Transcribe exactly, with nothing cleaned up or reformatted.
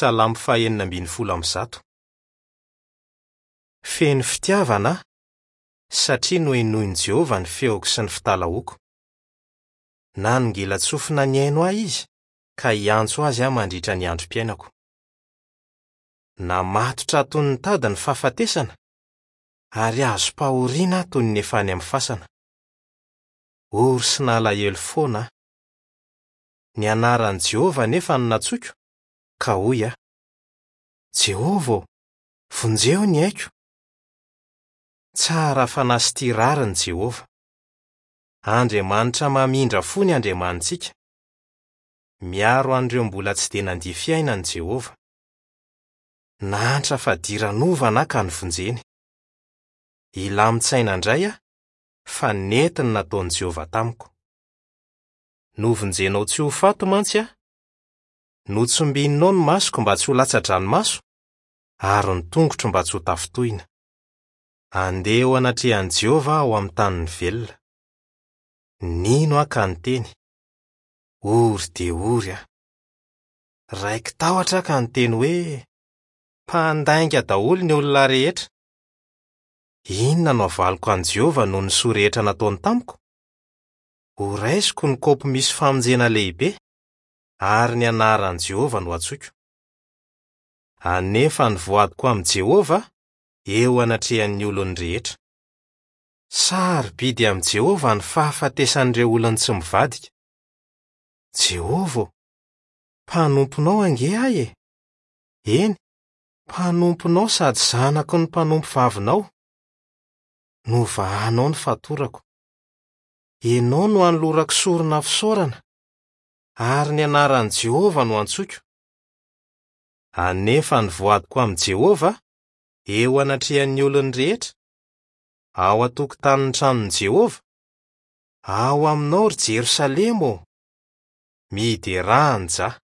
Salamo fahenina ambin'ny folo amby zato. Feno fitiavana aho, satria nohenoin'i Jehovah ny feoko sy ny fitalahoako. Nanongilan-tsofina nihaino ahy izy, ka hiantso azy aho mandritra ny androm-piainako. Namatotra toy ny tady ny fahafatesana, ary azom-pahoriana aho toy ny efa any amin'ny fasana. Ory sy nalahelo foana aho. Ny anaran'i Jehovah anefa no nantsoiko, ka hoy aho: Jehovah ô, vonjeo ny aiko. Tsara fanahy sy tia rariny Jehovah. Andriamanitra mamindra fo ny Andriamanitsika. Miaro an'ireo mbola tsy dia nandia fiainana Jehovah. Nahantra fadiranovana aho ka novonjeny. Hilamin-tsaina indray aho, fa nety ny nataon'i Jehovah tamiko. Novonjenao tsy ho faty mantsy aho. Notsimbininao ny masoko mba tsy ho latsa-dranomaso, ary ny tongotro mba tsy ho tafintohina. Andeha eo anatrehan'i Jehovah aho ao amin'ny tanin'ny velona. Nino aho ka niteny: Ory dia ory aho. Raiki-tahotra aho ka niteny hoe: Mpandainga daholo ny olona rehetra. Inona no havaliko an'i Jehovah noho ny soa rehetra nataony tamiko? Horaisiko ny kaopy misy famonjena lehibe, ary ny anaran'i Jehovah no antsoiko. Anefa ny voadiko amin'i Jehovah eo anatrehan'ny olony rehetra. Sarobidy amin'i Jehovah ny fahafatesan'ireo olony tsy mivadika. Jehovah ô, mpanomponao ange aho e! Eny, mpanomponao sady zanaky ny mpanompo vavinao. Novahanao ny fatorako. Ianao no anolorako sorona fisaorana, ary ny anaran'i Jehovah no antsoiko. Anefa ny voadiko amin'i Jehovah eo anatrehan'ny olony rehetra, ao an-tokotanin'ny tranon'i Jehovah, ao aminao ry Jerosalema ô! Miderà an'i Jah.